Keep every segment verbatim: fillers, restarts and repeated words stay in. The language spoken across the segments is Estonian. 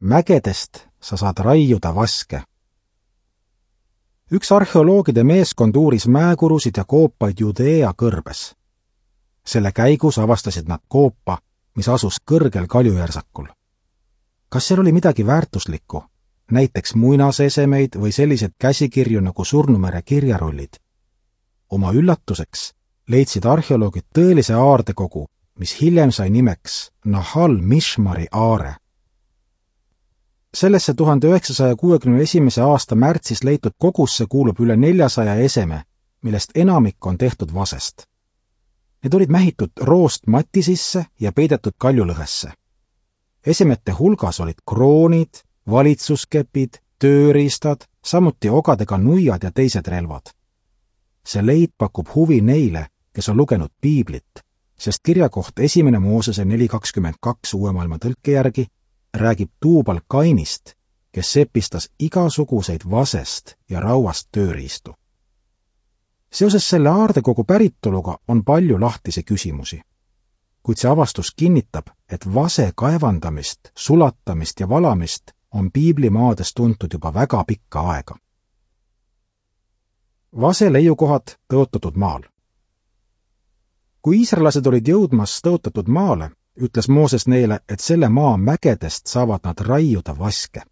mägedest sa saad raiuda vaske. Üks arheoloogide meeskond uuris mäekurusid ja koopaid Judea kõrbes. Selle käigus avastasid nad koopa, mis asus kõrgel kaljujärsakul. Kas seal oli midagi väärtuslikku, näiteks muinasesemeid või sellised käsikirju nagu Surnumere kirjarullid? Oma üllatuseks leidsid arheoloogid tõelise aardekogu, mis hiljem sai nimeks Nahal Mishmari aare. Sellesse tuhande üheksasaja kuuekümne esimese aasta märtsis leitud kogusse kuulub üle neljasaja eseme, millest enamik on tehtud vasest. Need olid mähitud roost mati sisse ja peidetud kaljulõhesse. Esemete hulgas olid kroonid, valitsuskepid, tööriistad, samuti ogadega nuiad ja teised relvad. See leid pakub huvi neile, kes on lugenud piiblit, sest kirjakoht esimene Moosese neli kakskümmend kaks uue maailma tõlke järgi räägib Tuubal Kainist, kes sepistas igasuguseid vasest ja rauast tööriistu. Seoses selle aardekogu päritoluga on palju lahtisi küsimusi, kuid see avastus kinnitab, et vase kaevandamist, sulatamist ja valamist on piiblimaades tuntud juba väga pikka aega. Vase leiukohad tõotatud maal. Kui iisraelased olid jõudmas tõotatud maale, ütles Mooses neile, et selle maa mägedest saavad nad raiuda vaske.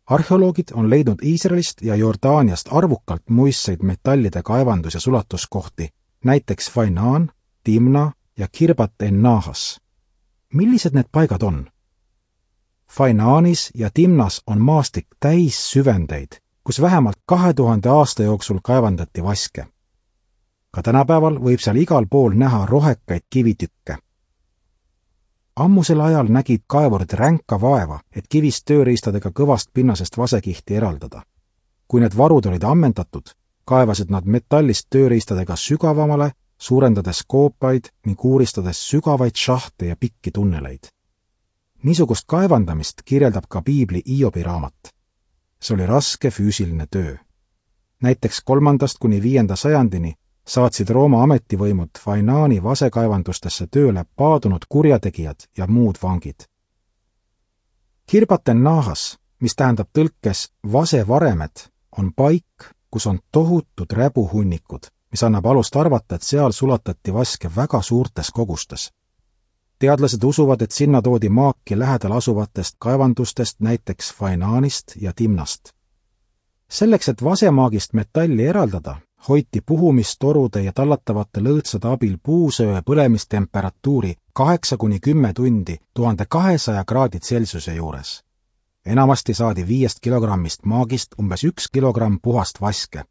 Arheoloogid on leidnud Iisraelist ja Jordaaniast arvukalt muistseid metallide kaevandus- ja sulatuskohti, näiteks Fainaan, Timna ja Kirbat en-Nahas. Millised need paigad on? Fainaanis ja Timnas on maastik täis süvendeid, kus vähemalt kahe tuhande aasta jooksul kaevandati vaske. Ka tänapäeval võib seal igal pool näha rohekaid kivitükke. Ammusel ajal nägid kaevurid ränka vaeva, et kivist tööriistadega kõvast pinnasest vasekihti eraldada. Kui need varud olid ammendatud, kaevasid nad metallist tööriistadega sügavamale, suurendades koopaid ning uuristades sügavaid šahte ja pikki tunneleid. Niisugust kaevandamist kirjeldab ka piibli Iobi raamat. See oli raske füüsiline töö. Näiteks kolmandast kuni viienda sajandini saatsid Rooma ametivõimud Fainaani vasekaevandustesse tööle paadunud kurjategijad ja muud vangid. Kirbat en-Nahas, mis tähendab tõlkes vasevaremed, on paik, kus on tohutud räbuhunnikud, mis annab alust arvata, et seal sulatati vaske väga suurtes kogustes. Teadlased usuvad, et sinna toodi maaki lähedal asuvatest kaevandustest, näiteks Fainaanist ja Timnast. Selleks, et vasemaagist metalli eraldada, hoiti puhumistorude ja tallatavate lõõtsade abil puusöö põlemistemperatuuri kaheksa kuni kümme tundi tuhande kahesaja kraadi Celsiuse juures. Enamasti saadi viiest kilogrammist maagist umbes üks kilogramm puhast vaske,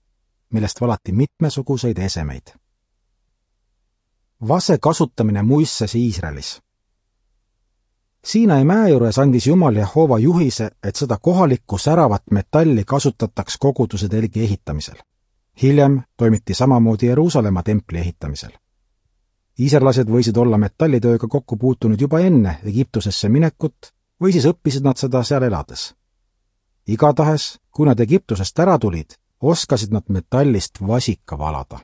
millest valati mitmesuguseid esemeid. Vase kasutamine muisses Iisraelis. Siinai mäe juures andis Jumal Jehova juhise, et seda kohalikku säravat metalli kasutataks koguduse telgi ehitamisel. Hiljem toimiti samamoodi Jeruusalemma templi ehitamisel. Iisraelased võisid olla metallitööga kokku puutunud juba enne Egiptusesse minekut või siis õppisid nad seda seal elades. Igatahes, kui nad Egiptusest ära tulid, oskasid nad metallist vasika valada.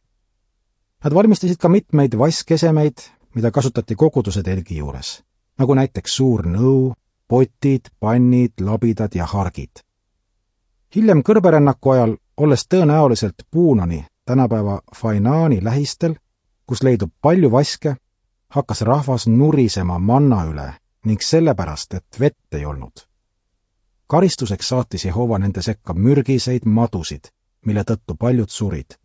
Nad valmistasid ka mitmeid vaskesemeid, mida kasutati koguduse telgi juures, nagu näiteks suur nõu, potid, pannid, labidad ja hargid. Hiljem kõrberännaku ajal, olles tõenäoliselt Puunani, tänapäeva Fainaani lähistel, kus leidub palju vaske, hakkas rahvas nurisema manna üle ning sellepärast, et vett ei olnud. Karistuseks saatis Jehova nende sekka mürgiseid madusid, mille tõttu paljud surid.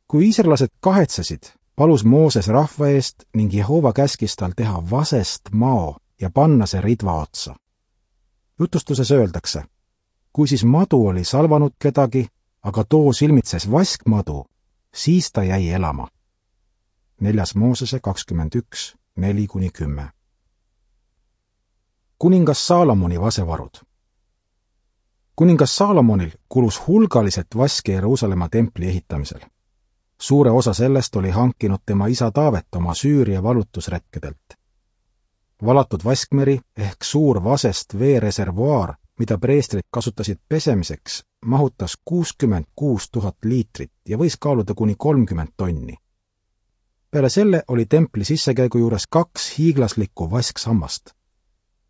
Kui iisraelased kahetsesid, palus Mooses rahva eest ning Jehova käskis tal teha vasest mao ja panna see ridva otsa. Jutustuses öeldakse, kui siis madu oli salvanud kedagi, aga too silmitses vaskmadu, siis ta jäi elama. Neljas Moosese kakskümmend üks, neli kuni kümme. Kuningas Saalomoni vasevarud. Kuningas Saalomonil kulus hulgaliselt vaske Jeruusalemma templi ehitamisel. Suure osa sellest oli hankinud tema isa Taavet oma Süüria valutusretkedelt. Valatud vaskmeri ehk suur vasest veereservuaar, mida preestrid kasutasid pesemiseks, mahutas kuuskümmend kuus tuhat liitrit ja võis kaaluda kuni kolmkümmend tonni. Peale selle oli templi sissekäigu juures kaks hiiglaslikku vasksammast.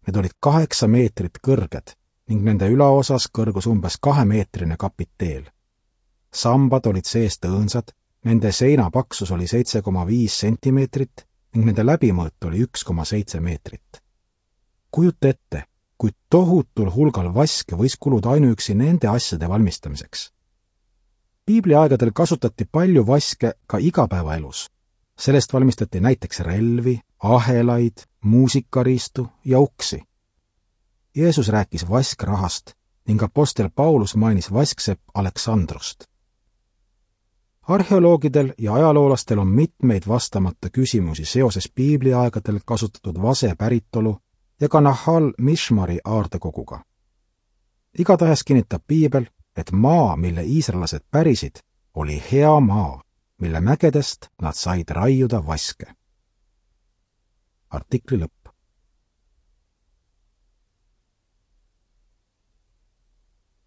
Need olid kaheksa meetrit kõrged ning nende ülaosas kõrgus umbes kahemeetrine kapiteel. Sambad olid seest õõnsad, nende seina paksus oli seitse koma viis sentimeetrit ning nende läbimõõt oli üks koma seitse meetrit. Kujuta ette, kui tohutul hulgal vaske võis kuluda ainuüksi nende asjade valmistamiseks. Piibliaegadel kasutati palju vaske ka igapäevaelus. Sellest valmistati näiteks relvi, ahelaid, muusikariistu ja uksi. Jeesus rääkis vaskrahast ning apostel Paulus mainis vasksepp Aleksandrust. Arheoloogidel ja ajaloolastel on mitmeid vastamata küsimusi seoses piibliaegadel kasutatud vase päritolu ja ka Nahal Mishmari aardekoguga. Igatahes kinnitab piibel, et maa, mille iisraelased pärisid, oli hea maa, mille mägedest nad said raiuda vaske. Artikli lõpp.